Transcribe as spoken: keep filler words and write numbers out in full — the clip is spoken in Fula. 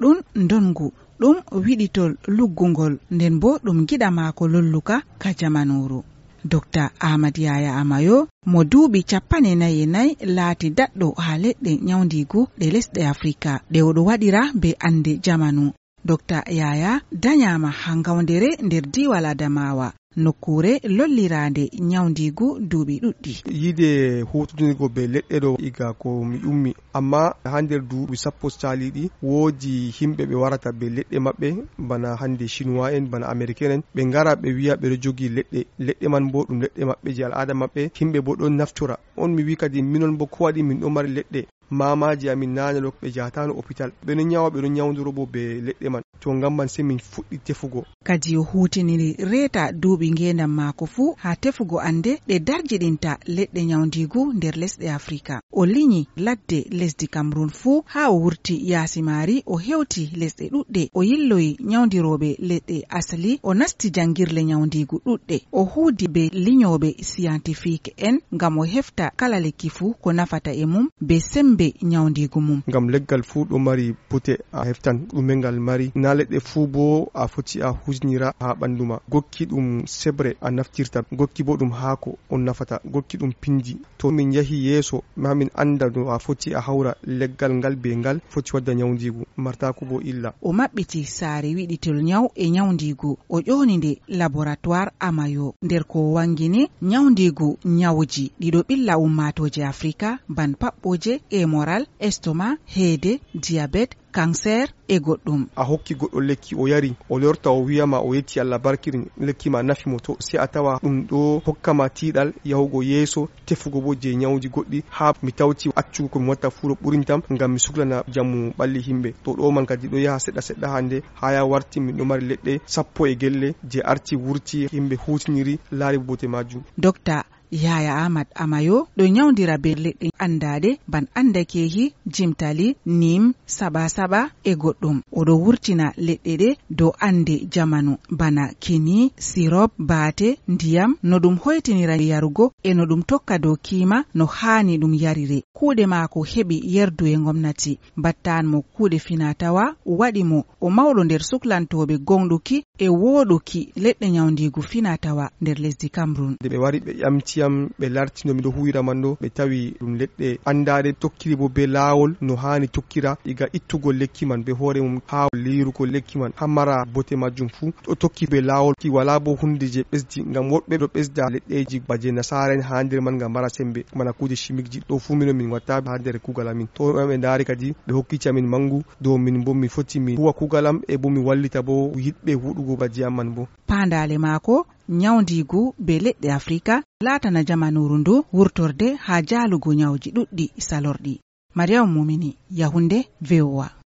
ɗum ndonngu, ɗum wiɗitol luggungol, nden boo ɗum giɗa maako lolluka ka jamanuuru. Dokta Ahmad Yaya Amayo, mo duuɓi cappanɗe nayi e nayi, laati daɗɗo haa leɗɗe nyawndiigu ɗe lesɗe Afrika, ɗe oɗo waɗira bee annde jamanu. Dokta Yaya danyaama haa ngawndere nder diiwal Adamawa, nokkuure lolliraande nyawndiigu duuɓi ɗuɗɗi. Yiide huutondirgo bee leɗɗe ɗo iga ko mi ummi, ammaa haa nder duuɓi sappo caaliiɗi, woodi yimɓe ɓe warata bee leɗɗe maɓɓe, bana hannde Chinois en, bana Américain en, ɓe ngara ɓe wi'a ɓe ɗo jogi leɗɗe. Leɗɗe man boo ɗum leɗɗe maɓɓe jey al'aada maɓɓe, yimɓe boo ɗon naftora. On mi wi kadi, minon boo ko waɗi min ɗo mari leɗɗe? Maamaaji amin naane ɗo ɓe njahataano opital. Ɓe ɗon nyawa, ɓe ɗon nyawndoro boo bee leɗɗe man. To ngam man sey min fuɗɗi tefugo. Kadi o huutiniri reeta duuɓi ngeendam maako fuu haa tefugo annde ɗe darjiɗinta leɗɗe nyawndiigu nder lesɗe Afrika. O linyi ladde lesdi Cameroun fuu haa o wurti yaasi maari, o hewti lesɗe ɗuɗɗe. O yilloyi nyawndirooɓe leɗɗe asli, o nasti janngirle nyawndiigu ɗuɗɗe. O huudi bee linyooɓe scientifique en ngam o hefta kala lekki fuu ko nafata e mum bee semmbe nyawndiigu mum. Ngam leggal fuu ɗo mari bote a heftan ɗume ngal mari. Naa leɗɗe fuu boo a foti a huutinira haa ɓanndu ma. Gokki ɗum seɓre a naftirta, gokki boo ɗum haako on nafata, gokki ɗum pinndi. To min njahi yeeso, maa min annda no a foti a hawra leggal ngal bee ngal foti wadda nyawndiigu, martaaku boo illa. O maɓɓiti saare wiɗitol nyaw e nyawndiigu, o ƴooni nde Laboratoire Amayo. Nder ko o waŋgini, nyawndiigu nyawji ɗi ɗo ɓilla ummaatooje Afrika, ban paɓɓooje, hémorragie, estomac, heede, diabète, cancer e goɗɗum. A hokki goɗɗo lekki, o yari, o lorta, o wi'a ma o yetti Allah barkiri lekki ma nafi mo, to sey a tawa ɗum ɗo hokka ma tiiɗal yahugo yeeso, tefugo boo jey nyawji goɗɗi, haa mi tawti accugo ko mi watta fuu ɗo ɓurintam ngam mi suklana njamu ɓalli yimɓe. To ɗo man kadi ɗo yaha seɗɗa seɗɗa hannde, haa ya warti min ɗo mari leɗɗe sappo e gelle jey arti wurti, yimɓe huutiniri, laari bote maajum. Dokta Yaya Ahmad Amayo ɗo nyawndira bee leɗɗe anndaaɗe ban anndakeehi, jimtali, nim, saɓa-saɓa e goɗɗum. O ɗo wurtina leɗɗe ɗe dow annde jamanu, bana kini, sirop, baate, ndiyam, no ɗum hoytinira yarugo e no ɗum tokka dow kiima no haani ɗum yarire. Kuuɗe maako heɓi yerdu e ngomnati, mbattaan mo kuuɗe finaa-tawaa, waɗi mo o mawɗo nder suklantooɓe gooŋɗuki e wooɗuki leɗɗe nyawndiigu finaa-tawaa nder lesdi Cameroun. Nde ɓe wari, ɓe ƴamti yam, ɓe larti no mi ɗo huuwira man ɗo, ɓe tawi ɗum leɗɗe anndaaɗe, tokkiri boo bee laawol no haani tokkira, iga ittugol lekki man bee hoore mum, haa liirugo lekki man, haa mara bote majjum fuu. Ɗo tokki bee laawol ki, walaa boo huunde jey ɓesdi, ngam woɗɓe ɗo ɓesda leɗɗeeji ba jey nasaara'en haa nder man ngam mara semmbe, bana kuuje chimiqueji. Ɗo fuu minon min watta haa nder kuugal amin. To ɓe ndaari kadi, ɓe hokkiti amin manngu dow min boo mi foti mi huuwa kuugal am e boo mi wallita boo yiɗɓe huuɗugo ba jey am man boo. Paandaale maako, nyawndiigu bee leɗɗe Afrika, laatana jamanuuru ndu wurtorde haa jaalugo nyawji ɗuɗɗi salorɗi. Mariam Mumini, Yaoundé, V O A.